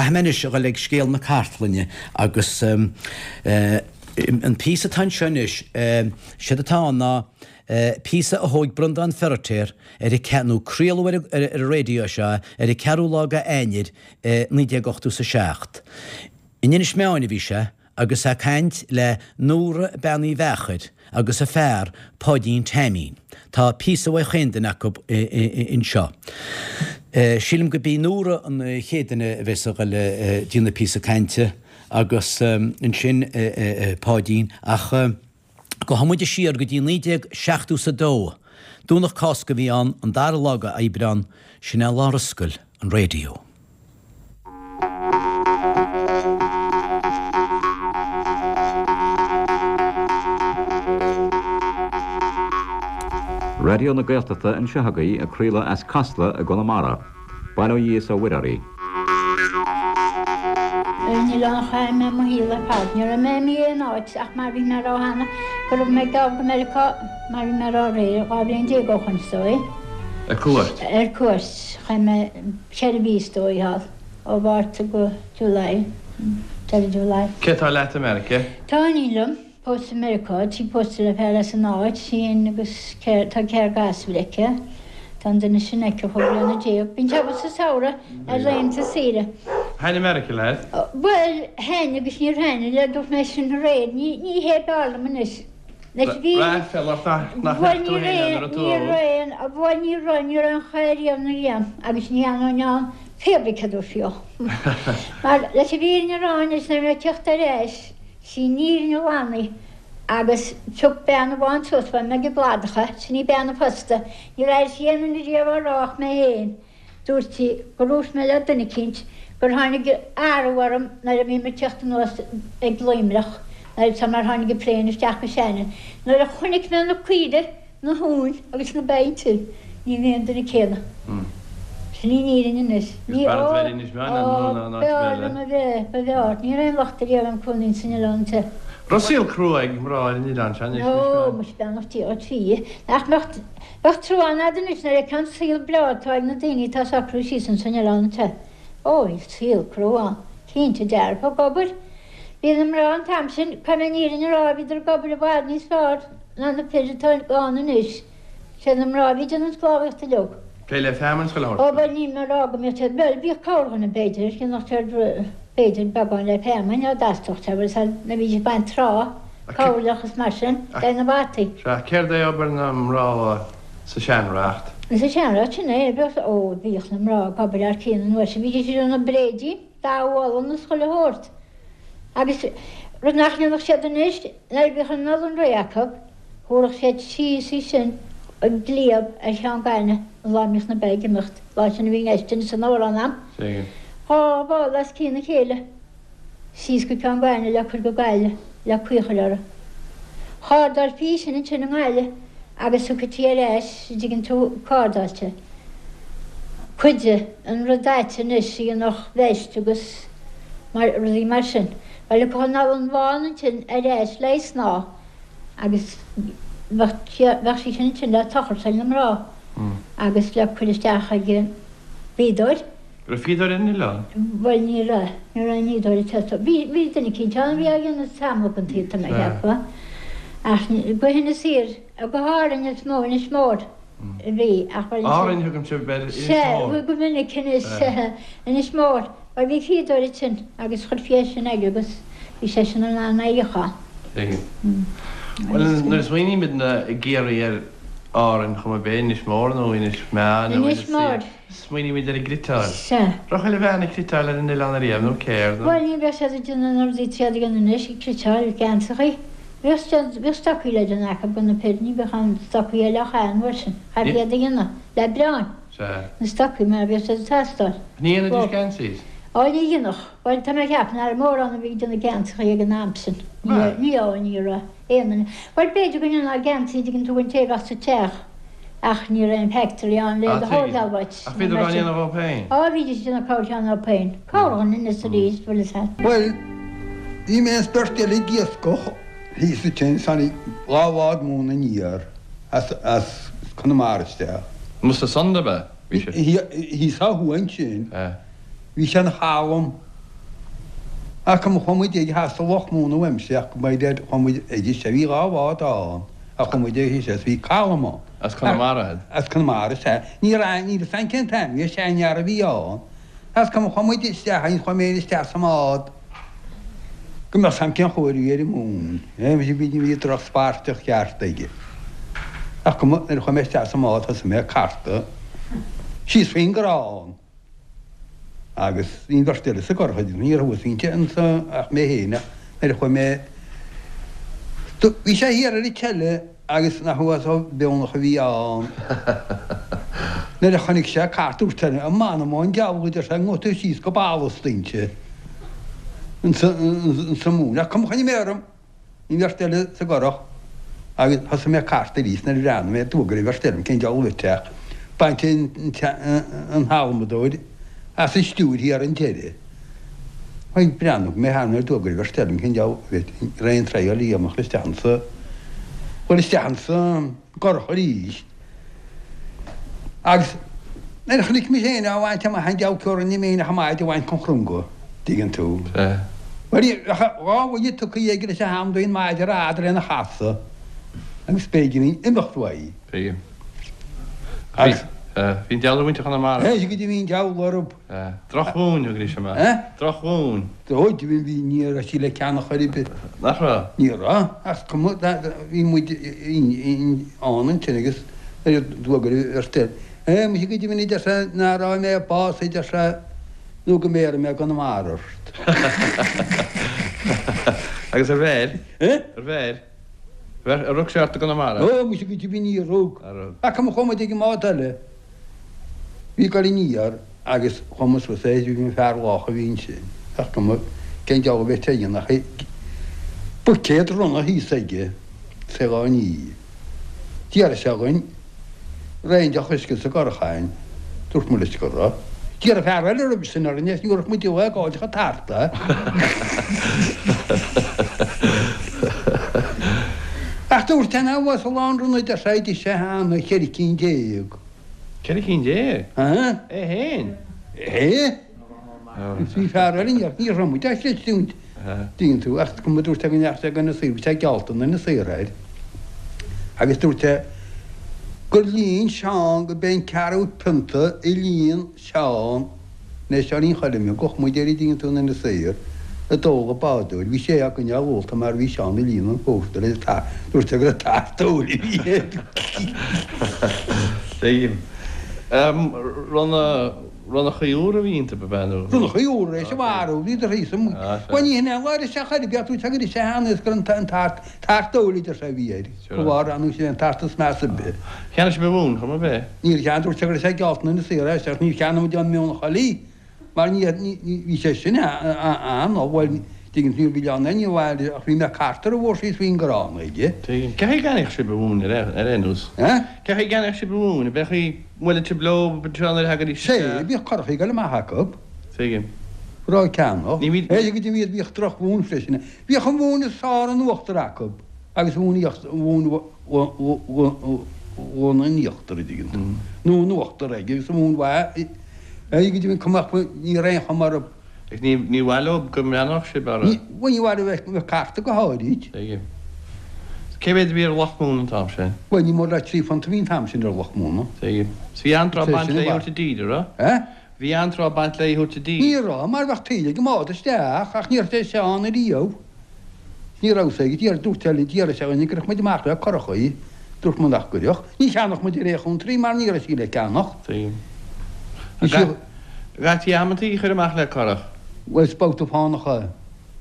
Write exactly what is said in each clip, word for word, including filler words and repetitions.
Caithfidh mé anois a dhul ag scéal na cartlainne agus an píosa atá anseo anois, séard atá ann ná píosa a thóig Breandán Feiritéar ar an ceathrú, nó craoladh ar an raidió seo ar an ceathrú lá de Eanáir naoi déag ochtó is a seacht. In Inis Meáin a bhí sé agus é ag caint le Nóra Bean Uí Mheachair agus a fear Páidín Taimín. Tá píosa uaidh chaon duine acu anseo. Sílim go b'í Nóra an chéad duine a bheas ag dul ag déanamh píosa cainte agus ansin Páidín ach gabhfaidh muid siar go dtí naoi déag seachtó is a dó. Domhnach Cásca a bhí ann, an dara lá de Aibreán, sin é lá ar oscail an raidió. Raidió na Gaeltachta anseo agaibh ag craoladh as Casla i gConamara. Bail ó Dhia is ó Mhuire oraibh. Ar an oileán a chaith mé mo shaol ar fad. Ní raibh mé imithe aon áit ach mar bhí mé a rá cheana go raibh mé ag gabháil go Meiriceá mar bhí mé a rá aréir, dhá bhliain déag ó shoin is dóigh. Ar cuairt? Ar cuairt. Chaith mé ceithre mhí is dóigh thall, ó Mhárta go July, deireadh July. Cé atá leat i Meiriceá? Tá iníon liom. Pósta i Meiriceá, tá sí pósta le fear as an áit, í féin agus tá ceathrar gasúr aici. Tá an duine sin aici chúig bliana déag. Bíonn sé abhus sa samhradh ar laethanta saoire. Thaitnigh Meiriceá leat? Bhuel, thaitnigh agus níor thaitnigh, le dúirt mé sin aréir, ní ní hé b'fhearr liom anois. Leis an bhfírinne. Raibh aiféala ort nach Bhuel, mbeadh tú ní féin ann raibh, nuair a ní tugadh. raibh, bhuel ní raibh, ní raibh aon chaoi riamh na riam agus ní fhanfainn ann pé ar bith cé a dúirt Mar leis an bhfírinne a rá anois, nuair a bhí mé ag teacht ar ais, Sí an fhírinne ghlan í agus phioc bean amháin suas bhuail mé ag an gcladach é, sin í bean an phosta, níor airigh sí aon duine riamh á rá ach mé féin. Dúirt sí gur dhúirt mé le duine eicínt gur tháinig athrú orm nuair a bhí mé ag teacht anuas ag Luimneach, nuair a mar tháinig an plane isteach go Shannon. Nuair a chonaic mé na caoirigh, na huain agus na ba ansin, ní mé an duine céanna. Sin í an fhírinne anois. Ní, Is ó, b'fhearr duit Inis Meáin ó, ná ná áit b'fhearr eile. liom a bheith, ba bhfearr. Ní raibh aon locht ariamh orm cónaí san oileán seo. Raibh saol crua ag mná ar an oileán seo anois, Inis Ó, Meáin? muis beannacht Dé dhuit bhí. Nach mbeadh, bheadh trua ann a'd anois nuair a fheicfeá an saol breá atá ag na daoine atá socrú síos ansan oileán seo. Ó, bhí saol crua ann. Cinnte dearfa, ag obair. Bhí na mná an t-am sin, caithfidh mé an fhírinne a rá, bhíodar ag obair i bhfad níos fearr ná na fir atá ann anois. Sé na mná a bhí ag déanamh an sclábhaíocht uilig. Plé le feamainn 's chuile Ó, shórt. bhuel, níl mé ag rá go mbíodh siad, bhuel, bhíodh corrdhuine, b'fhéidir, dhéanfadh siad, b'fhéidir, beagán le feamainn, á dtastach sé, bhuel, sea, nuair a bhídís ag baint trá, cabhairleach is mar sin, le na bhataí. Sea, céard é obair na mná sa seanreacht? Sa seanreacht, sin é, bheadh, ó, bhíodh na mná ag obair thar cionn an uair sin, bhídís ag déanamh bréidín, damh olann is chuile shórt. Agus rud nach ndéanfadh siad anois, nuair a bhíodh an olann réidh acu, thabharfadh siad síos í sin i gcliabh ar Cheann Gainimh an lá a mbíodh na ba ag imeacht, lá sin a bhí an sin san amhrán a'm. Dhá mhála os cionn a chéile síos go Ceann Gainimh le cur go Gaillimh le caoi a chur orthu. Chardálfaí í sin ansin i nGaillimh agus thiocfaidh ar ais, an dtuigeann tú, cardáilte. Cuid de an rud ait anois a dhéanfadh veist agus mar rudaí mar sin. Bhuel, thiocfadh an olann bhán ansin ar ais le snáth agus bheadh bheadh sí sin ansin le tochairt ag na mná agus le cur isteach ag an bhfíodóir. Raibh fíodóir ar an oileán? Bhuel, ní raibh. Ní raibh aon fhíodóir ag teastáil. Bhí, bhí duine eicínt ann a bhí á dhéanamh tamall den tsaol, tá mé ag ceapadh. Ach go hInis Oírr, go hÁrainn is mó, Inis Mór a bhí, ach bhuel ansin. Árainn, thugaim sibh ar Inis Sea, Mór. go minic anois, Inis Mór. Bhuel, bhí fíodóir ansin agus chuirfí é sin air agus bhí seisean in ann é a fhíochán. Tuigim. Bhuel, nuair a smaoinímidne i gCiarraí ar Árainn, chuma ar bith, Inis Mór nó Inis Meáin nó Inis Inis Mór. Oírr, Smaoinímid ar an gcniotáil. Sea. Raibh chuile bhean ag cniotáil ar an oileán ariamh, nó céard? Bhuel, ní bheadh siad ag déanamh na rudaí atá siad ag déanamh anois, ag cniotáil geansachaí. Bhíodh siad, bhíodh stocaí le déanamh acu do na fir, ní bheadh aon stocaí eile á chaitheamh an uair sin. Chaithfí iad a dhéanamh le bréáin, Sea. na stocaí, mar bhíodh siad ag teastáil. Ní dhéanaidís geansaí? Ó, ní dhéanfadh. Bhuel, tá mé ag ceapadh nach raibh mórán a bhí ag déanamh geansachaí ag an am sin. Ní, ní, ó, ní raibh aon duine. Bhuel, b'fhéidir go ndéanfá geansaí, an dtuigeann tú, an té a bheadh sa teach. Ach ní raibh aon factory ann le do thógáil uait. Ach bhíodar á ndéanamh dhóibh féin? Á, bhídís ag déanamh corrcheann dhóibh féin. Corrdhuine anois arís, bhfuil fhios a'd. Bhuel, bhí mé is beirt eile ag iascach thíos ansin, tháinig dhá bhád móna aniar as, as Conamara isteach. Amuigh sa Sund ab ea? Bhí sé. Thíos ó thuaidh ansin, bhí sé ina chalm. Ach cuma chuaigh muid ag theas sa Loch Móna uaimse ach go mbeidh dead chuaigh muid ag sé bhí dhá bhád ann ach chuaigh muid ag sé bhí calm ann. As Conamara iad? As Conamara sea. Ní raibh níl a fhios agam cén t-ainm bhí seanfhear a bhí ann. As cuma chuaigh muid isteach ann chuaigh mé isteach sa mbád go mbeadh a fhios agam cén chóir a bhí ar an móin. Bhí bhí drochspairteach ceart aige. Ach cuma nuair a chuaigh mé isteach sa mbád thosaigh mé ag cartadh síos faoin gcrann. Agus bhí an bheirt eile sa gcurach, ní raibh thuas inti anso ach mé féin ach nuair a chuaigh mé bhí sé thiar ar an tseile agus nach uasal beonach a bhí ann. Nuair a chonaic sé cairt dúirt sé m'anam ón diabhal a deir sé ngabhfaidh tú síos go ballast inti insa mhóin. Ach cuma choinnigh mé orm, bhí an bheirt eile sa gcurach agus thosaigh mé ag cartadh arís nuair a bhreathnaigh mé d'fhuagair an bheirt eile cén diabhal a bhí ach baint an halmadóir as an stiúir thiar an deireadh. Ag breathnú mé thar nuair d'fhuagair an bheirt eile cén diabhal a bhí raon traidhfil a dhéanamh isteach ansa bhuel isteach ansa gcurach arís. Agus nuair a chonaic mé féin á bhaint amach an diabhal ceo rinne mé féin ach an maide a bhaint chun chrunga, dtuigeann tú. Bhuel bheadh dhá bhuille tugtha aige leis an ham d'aon maide ar fhad lena chasadh agus b'éigean imeacht uaidh. Tuigim. Agus Bhí an diabhal ar mhuintir Chonamara. Éist go dtí bhí an diabhal orthu. Drochmhóin a thugaidís amach. Drochmhóin. Ó, bhí bhí ní raibh sí le ceannach ar bith. Nach raibh? Ní raibh, ach cuma bhí muid ann ansin agus d'fhuagair an bheirt eile. Eh, muise go deimhin a deir sé ná raibh mé bás a deir sé nó go mbéarfaidh mé Conamara ort. Agus ar bheir? Eh? Ar bheir? Ar rug sé ort i gConamara? Ó, muise go deimhin níor rug. Ar rug. Ach cuma chuaigh muid ag an mbád eile. Bhí ag dul aniar agus chuaigh muid suas é, bhí fear lách a bhí ansin. Ach cuma cén diabhal a bheadh sé a dhéanamh ach buicéad ronna thíos aige is é dhá ní. D'iarr sé againn raon deoch uisce sa gcurach againn. Dúirt muid leis go raibh. D'iarr fear eile roimhe sin orainn is ní raibh muid ag fáil chomh tart é. Ach dúirt sé nach bhfuil sa lán ronna deir sé d'ith sé cheana ceithre cinn déag. Ceithre cinn déag? Aha. É féin? É. Bhí fear eile ní ní raibh muid á chreidiúint. Dtuigeann tú, ach cuma dúirt sé go ndeachaigh sé go Inis Oírr, bhí sé geallta in Inis Oírr air. Agus dúirt sé gur líon Seán go b'é an ceathrú pionta a líon Seán nó Seáinín Choilm, thugfadh muid air a dtuigeann tú in Inis Oírr, a d'ól an bádóir. Bhí sé á gcoinneáil ólta mar bhí Seán ag líonadh an phórtair le tart, dúirt sé go raibh tart óil a bhí air. Tuigim. Ronnachaí úra a bhí iontu, ab ea, nó? Ronnachaí úra, é sa mharú, bhíodar thíos amuigh. Bhuel, ní hin é an lá isteach air, bheadh tú ag teacht isteach ann is gur an tart, tart óil a deir sé a bhí air. Go bharr ann sin an tart is measa ar bith. Cheannaigh sibh an mhóin, chomh maith, ab ea? Níor cheannaigh, dúirt sé go raibh sé geallta in Inis Oírr ach níor cheannaigh muid an mhóin a thuilleadh mar ní, bhí sé sin ann, bhuel, tuigeann tú, níor bhí ann aon mhaith ach bhí mé cartar a bhfuair síos faoin gcrann aige. Tuigim. Cé chaoi a gceannaíodh sibh an mhóin ar aon nós? Eh? Cé chaoi a gceannaíodh sibh an mhóin? Ab é chaoi mbuaileadh sibh leo anseo nuair a thagaidís Sé, isteach? bhíodh curachaí ag dul amach acu. Tuigim. Raibh ceannach. Ní bhí. É go dtí bhíodh bhíodh drochmhóin freisin. Bhíodh an mhóin is fearr in uachtar acu agus mhóin mhóin mhóin in íochtar, a dtuigeann tú. Nó in uachtar aige agus an mhóin mhaith é go dtí cuma ní raibh aon chuma orthu. Ach ní ní mhaith leo go mbreathnódh sibh orthu. Ní bhuel ní mhaith leo bheith bheith carta go háirid. Tuigim. Cé mhéad a bhí ar luch móna an t-am sin? Bhuel ní mór le trí phunt a bhí an t-am sin ar luch móna. Tuigim. 'S bhí an-trá Sé baint sin léi a thabhairt i dtír, an raibh? Eh? Bhí an-trá baint léi thabhairt i dtír. Ní raibh, mar bheadh taoille ag an mbád isteach ach ní raibh sé Seán ariamh. Ní raibh sé ag d'iarr dúirt eile d'iarr sé againn an gcuirfeadh muid amach le curachaí. Dúirt muid nach gcuirfeadh. Ní cheannódh muid ar aon chontraí mar ní raibh sí le ceannach. Tuigim. Bhí sí. Gcaití amantaí a chur amach le curach. Bhuel, is babhta fánach é.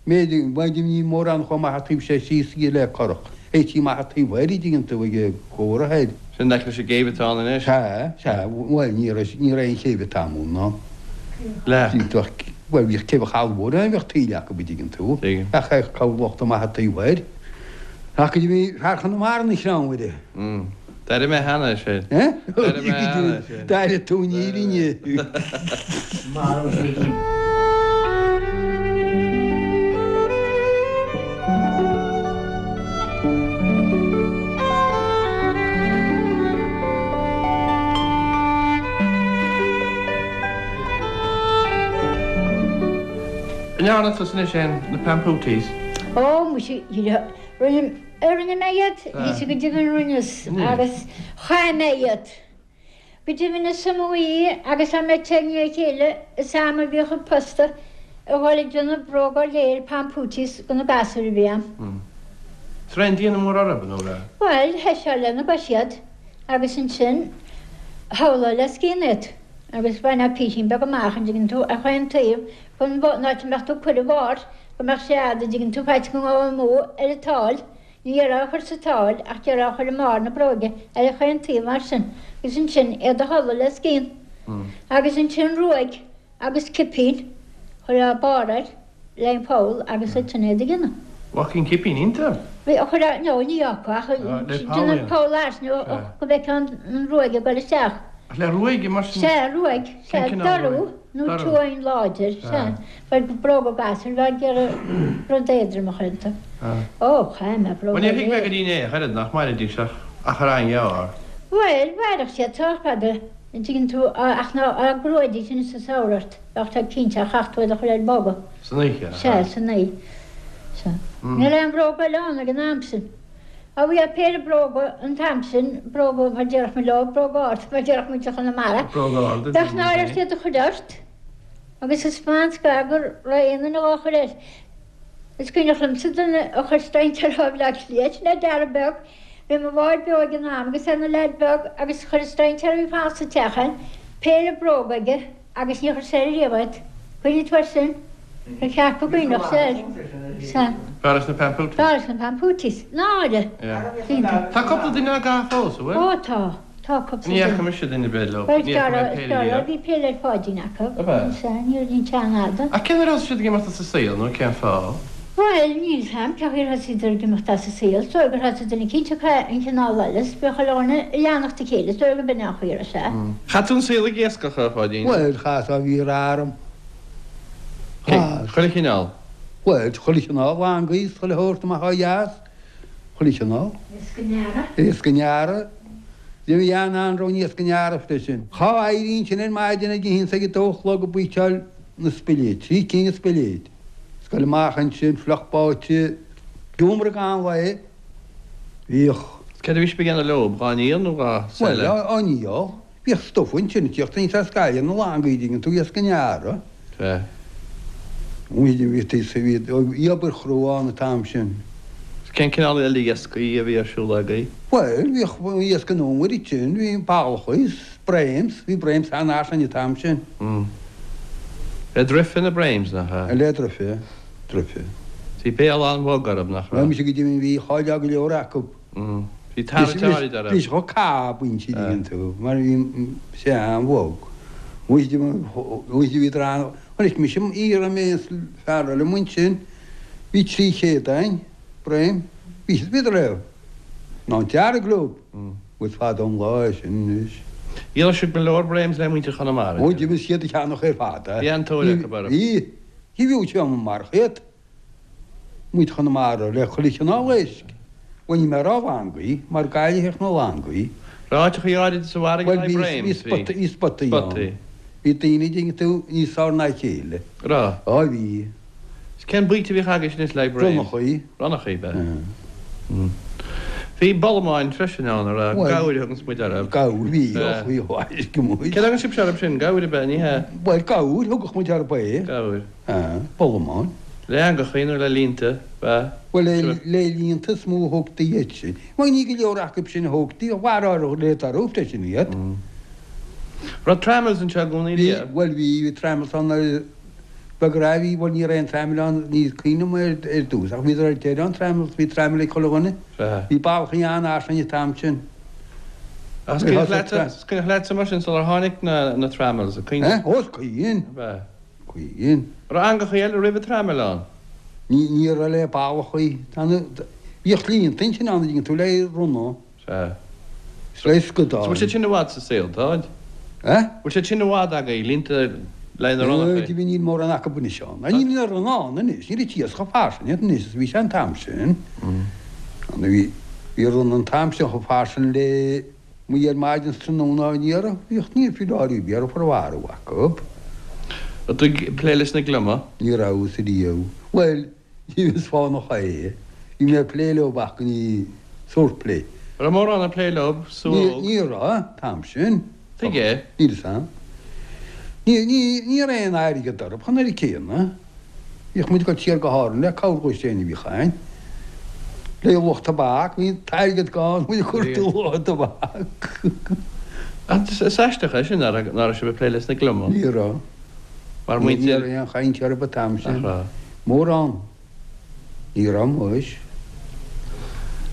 B'fhéidir, b'fhéidir ní mórán chomh maith a taobh sé síos í le curach. Théití amach an taobh thoir, a dtuigeann tú, ag an gcomhra thoir. Sin aice leis an gcéibh atá ann anois. Sea, sea, bhuel, ní raibh, ní raibh aon chéibh an t-am ann. Le. Bhíodh, bhuel, bhíodh céibh an Chalmhóir ann, bhíodh taoille acu, a dtuigeann tú. Tuigim. Ach cabhair lucht amach an taobh thoir. Ach go dtí bhí fear Chonamara ina chreamhaire. Mm. D'airigh mé cheana é sin. Eh? D'airigh mé cheana é sin. D'airigh tú an fhírinne. An ndearna tusa anois féin na pampooties? Ó, muise, rinne rinne mé iad, bhí sé go deimhin rinneas agus chaith mé iad. Go deimhin is iomaí agus am ag teannadh a chéile is am a bhíodh an posta a dhul ag déanamh bróga léir pampooties do na gasúir a bhí ann. Is raibh aon déanamh mór orthu, nó raibh? Bhuel, thoiseofá lena gcois iad agus ansin shamhlófá le scian iad agus bhainfeá písín beag amach an dtuigeann tú ar chaon taobh chun an áit a mbeadh tú ag cur an bharr go mbeadh sé fhad an dtuigeann tú faitíos go ngabhfá amú ar an tsáil. Ní d'iarrfá a chur sa tsáil ach d'iarrfá a chur i mbarr na bróige ar chaon taobh mar sin agus ansin iad a tholladh le scian. Agus ansin ruaig agus cipín, chuirfeá barr air le an poll agus ansin iad a dhéanamh. Bheadh an cipín iontu? Bhí, chuirfeá, no, ní fhágfá ach déanamh poll as nó go bhfeicfeá an ruaig ag dul isteach. Ach le ruaig mar sin? Sea, ruaig, sea, dorú nó tóin láidir, sea. Bhuel, bróga gasúir, bheadh ag iarraidh rud éadrom a chur iontu. Ó, chaith mé bróga Bhuel, níor thuig mé go dtí inné ach oiread nach mairidís ach achar an-ghearr. Bhuel, mhairfeadh siad sách fada, an dtuigeann tú, ach ná á gcruaidís anois sa samhradh ort, bheadh sé cinnte ach chaithfeadh tú iad a chur ar bogadh. San oíche, Sea, san oíche. Sea. Ní raibh aon bhróga eile ann ag an am sin. Á bhí péire bróga an t-am sin, bróga mar déarfadh muid leo, bróga arda mar déarfadh muid i Chonamara. Bróga arda. Bheadh náire ort iad a chur ort agus is maith an scath go raibh aon duine dhá chur air. Is cuimhneach liomsa duine a chuir strainséir ó Bhleá Cliath, sin é Dara beag, bhí mo mháthair beo ag an am agus é ina leaid beag agus chuir an strainséir a bhí fanacht sa teach ann péire bróga aige agus níor chuir sé air riamh iad. Cuimhnigh tú air sin? Ba cheart go gcuimhneodh sé air. Sea. B'fhearr leis na pampooties. B'fhearr leis na pampooties. Náire! Tá cúpla duine á gcaitheamh fós, an bhfuil? Ó tá. Tá cúpla Ní duine. fhaca mise duine ar bith leo. Bhuel, Ní fhaca mé péire riamh. bhí péire ag Pháidín acu. Ab ea? Sea, ní raibh an ceann fhada. Ach cén uair a thosaigh siad ag imeacht as an saol nó cén fáth? Bhuel, níl 's a'm cén chaoi ar thosaíodar ag imeacht as an saol. Is dóigh gur thosaigh duine eicínt ag caitheamh an cineál eile is bhíodh chuile dhuine ag leanacht a chéile. Is dóigh gurb in é an chaoi a raibh sé. Chaith tú an saol ag iascach, a Pháidín? Bhuel, chaitheas ó bhí rath orm. Chaitheas. Chuile chineál? Bhuel, chuile chineál, langaí is chuile shórt amach ó dheas, chuile chineál. Iasc an earraigh? Iasc an earraigh. Bhí an-anró in iasc an earraigh freisin. Cha éirínn sin ar maidin ag a haon 's ag a dó a chlog ag baoiteáil na spiléid, trí cinn de spiléid. 's goil amach ansin, fliuch báite, giúmar i gcaitheamh an lae. Bhíodh. Céard a bhí sibh ag déanamh leo, dhá ndíol nó dhá Bhuel, seile? á ndíol. Bhíodh stuif ansin ag tíocht aníos as Gaillimh, na langaí, dtuigeann tú, iasc an earraigh. Sea. Bhí bhí obair chrua ann an t-am sin. Cén cineál eile iascaigh a bhí ar siúl agaibh? Bhuel, bhíodh iasc an fhómhair ansin, bhí ballacha is bréims, bhí bréims an-fhairsing an t-am sin. Le druife na bréims, nach ea? Le druife, druife. Bhí béal an-bhog orthu, nach Bhuel, raibh? mise go deimhin bhí cháil go leor acu. Bhí tarraingt áirid orthu. Bhí sé chomh cabainse, dtuigeann tú, mar bhí sé an-bhog. Bhí drá Chonaic mise iarraidh mé is fear eile amuigh ansin, bhí trí chéad againn, broim, bhí siad, bhíodar ar ná an dearg leo, is fada an lá é sin anois. Dhíoladh sibh go leor bréims le muintir Chonamara. Ó, d'imigh siad a cheannach ar fad. Bhí an-tóir acu orthu. Bhí, bhí bhí sé mar chéad. Muintir Chonamara le chuile chineál éisc. Bhuel, ní mé a rá langaí, mar Gaillimh na langaí. Raibh áiteachaí áirid sa bhfarraige Bhuel, le bhí bréims, bhí spotaí, bhí spotaí ann. Spotaí. Bhí daoine, dtuigeann tú, níos fearr ná a chéile. Raibh? Á, bhí. Is cén baoite a bhíodh agaibh anois le bréims? Ronnachaí. Ronnachaí, b'ea. Bhí bolamáin freisin ann, a raibh Bhuel, gabhair a thuganns muid orthu. Gabhair, bhí, B'ea. bhí, bhí, bhí. Céard a thugann sibhse orthu sin? Gabhair ab ea, ní hea? Bhuel, gabhair, thugadh muid orthu é. Gabhair. Ah, bolamáin. Le eangachaí nó le línte, b'ea? Bhuel, le le líonta is mó a thógtaí iad sin. Bhuel, ní go leor acu sin a thógtaí, mharódh le dorú freisin iad. Raibh trammels anseo i gcónaí Bhí, riamh? bhuel, bhí, bhí trammels ann ar bheag raibh, bhí, bhuel, ní raibh aon trammel ann, ní cuimhin liom ar, ar dtús, ach bhíodar ar deireadh an trammels, bhí trammel ag chuile dhuine. Sea. Bhí ballachaí an-fhairsing an t-am sin. Ach is Bhí cuimhneach thosaigh leatsa, tra- is cuimhneach leatsa mar sin sular tháinig na, na trammels, a cuimhne? Eh? Ó, is cuimhin. B'ea. Cuimhin. Raibh eangachaí eile roimh an trammel ann? Ní, ní raibh le ballachaí. Tá na, bhíodh líonta ansin ann, dtuigeann tú, le ronna. Sea. Is le scadáin. Bhfuil siad sin i bhfad sa saol, táid? Eh? Bhfuil siad sin i bhfad agaibh, línte le na ronnachaí? Bhí níl mórán acu anois ann. Níl na ronna ann anois, níl an t-iasc chomh fairsing anois is bhí sé an t-am sin. An bhí, bhí ronna an t-am sin chomh fairsing le muid ar maidin is tráthnóna ní raibh, bhíodh ní fiú áirí, bhí ar mharú acu. Raibh tú ag plé leis na gliomaigh? Ní rabhas riamh. Bhuel, is fánach é. Bhí mé ag plé leo ach ní sórt plé. Raibh mórán ag plé leo sa Ní ní raibh, an t-am sin. Tuige? Níl fhios a'm. Ní ní ní raibh aon airgead orthu chun an céanna. Bhíodh muid ag dul siar go hÁrainn le cabhair dhó féin a bhíodh a'ainn. Le luach tobac, bhí an t-airgead gann, muid ag cuartú luach tobac. Is aisteach é sin nach raibh sibh ag plé leis na gliomaigh. Ní raibh. Mar Ní muintir. raibh aon chaint orthu an t-am sin. Nach raibh. Mórán. Ní raibh muis.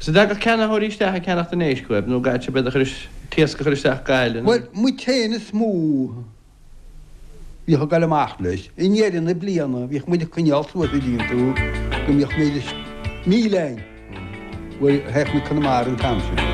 Is an dtagadh ceannaitheoirí isteach ag ceannacht an éisc uaibh nó gcaithfeadh sibh iad a chur t-iasc a chur isteach go Gaillimh? Bhuel, muid féin is mó bhíodh ag dul amach leis. I ndeireadh na bliana bhíodh muid ag coinneáil suas an dtuigeann tú go mbíodh méid míle a'ainn. Bhuel, théadh muid Conamara an t-am sin.